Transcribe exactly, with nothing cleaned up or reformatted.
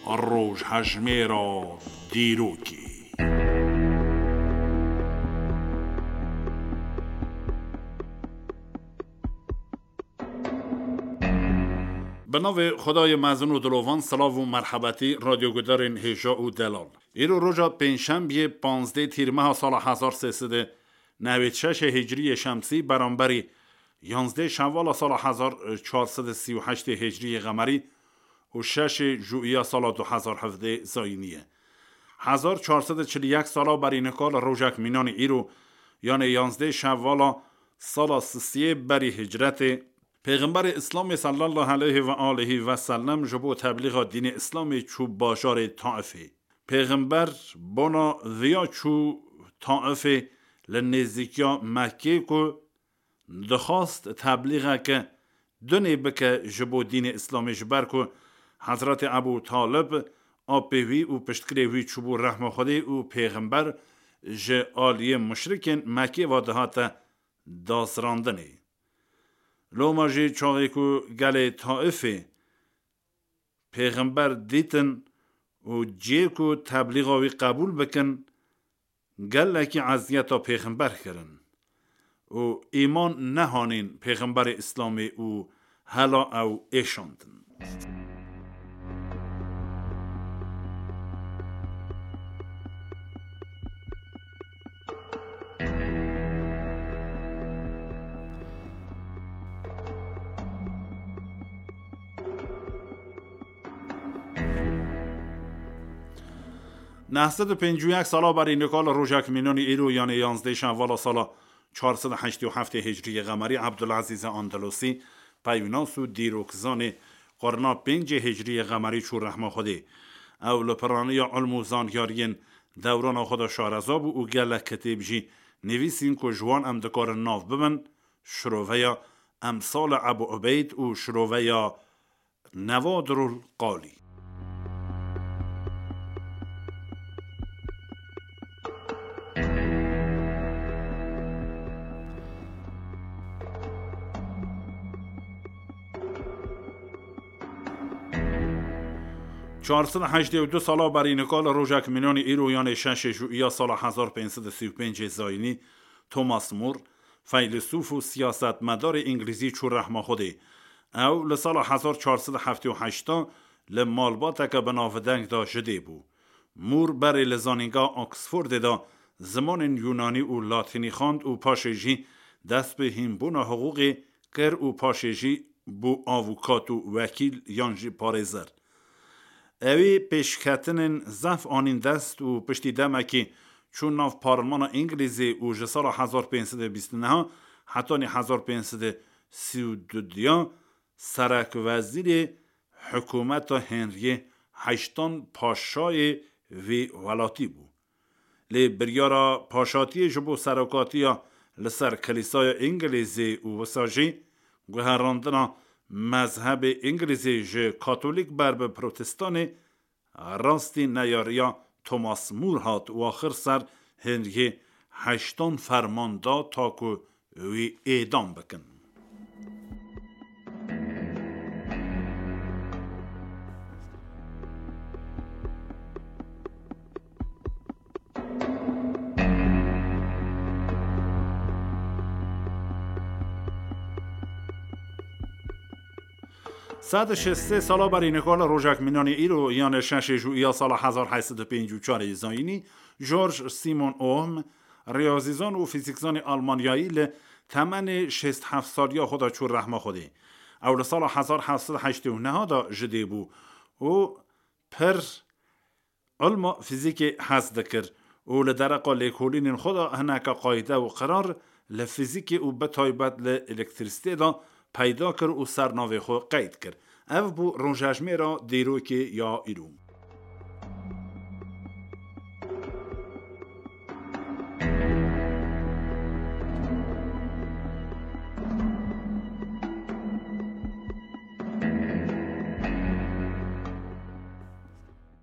Rojhejmêra dîrokê. Bi navê Xwedayê mezin û dilovan, silav û merhebetî radyogudarên hêja û delal. Îro roja pêncşembiyê, panzdeh tîrmeha sala hezar sê sed û newêd şeşê hicriyê şemsî, beramberî yanzdeh şevala sala hezar çar sed û sî û heştê hicriyê qemerî û şeşê juiya sala du hezar hevdeh zayînî ye. Hezar çar sed û çil û yek sala berî nika li rojek mînanî îro, yanê yanzdeh şevala sala sisiyê berî hicretê, Pêxemberê Îslamê sallallahu aleyhi ve aleyhi ve sellem ji bo teblîxa dînê Îslamê çû bajarê Taifê. Pêxember bona viya çû Taifê, li nêzîkiya Mekkê, ku dixwast teblîxeke dunê bike ji bo dînê Îslamê, ji ber ku Hezretê Ebû Talib, apê wî û piştgirê wî çûbû rehma Xwedê û Pêxember ji aliyê muşrikên Mekkê ve dihate dazrandinê. Loma jî çaxê ku gelê Taifê Pêxember dîtin û cihê ku teblîxa wî qebûl bikin, gelekî eziyeta Pêxember kirin û îman nehanîn Pêxemberê Îslamê û hela ew êşandin. Neh sed û pêncî û yek sala berî nika li rojek mînanî îro, yanê yanzdeh şevala sala çar sed û heştê û heftê hicriyê qemerî, Ebdulezîzê Andalusî, peyvnas û dîrokzanê qurna pêncê hicriyê qemerî çû rehma Xwedê. Ew li piraniya ilm û zanyariyên dewrana xwe de şareza bû û gelek kitêb jî nivîsîn ku ji wan em dikarin nav bibin, şiroveya Emsalê Ebû Ubeyd û şiroveya Nevadirul Qalî. Çar sed û heştê û du sala berî nika li rojek mînanî îro, yanê şeşê juiya sala hezar pênc sed û sî û pêncê zayînî, Thomas More, feylesûf û siyasetmedarê îngilîzî çû rehma Xwedê. Ew li sala hezar çar sed û heftê û heşt de li malbateke bi navdeng de ji dê bû. More berê li Zanîngeha Oxfordê de zimanên Yûnanî û Latînî xwend û paşê jî dest bi hînbûna hiqûqê kir û paşê jî bû avûkat û wekîl yan jî parêzer. Ewî pêşketinên zehf anîn dest û piştî demekî çû nav parlemana Îngilîzê û ji sala hezar pênc sed û bîst û neh hetanî hezar pênc sed û sî û du ya serekwezîrê hikûmeta Henriyê heştan paşayê vî welatî bû. Lê biryara paşatiyê ji bo serokatiya li ser Kilîsaya Îngilîzê û wisa jî guherandina mezhebê Îngilîzê ji Katolîk ber bi Protestanê rastî neyariya Thomas More hat û axir ser Henriyê heştan ferman da ta ku wî êdam bikin. Sed û şêst sê sala berî nika li rojek mînanî îro, yanê şeşê juiya sala hezar heyt sed û pêncî û çar zayînî, George Simon Ohm, riyazîzan û fîzîkzanê almanyayî, li temenê şêst heft saliya xwe de çû rehma Xwedê. Ew li sala hezar heft sed heştê û neh de ji dê bû û pir ilma fîzîkê hez dikir û li dereqa lêkolînên xwe de hineke qayde û qirar li fîzîkê û bi taybet li elektrîsitê de peyda kir û ser navê xwe qeyd kir. Ev bû rojejmêra dîrokê ya îro.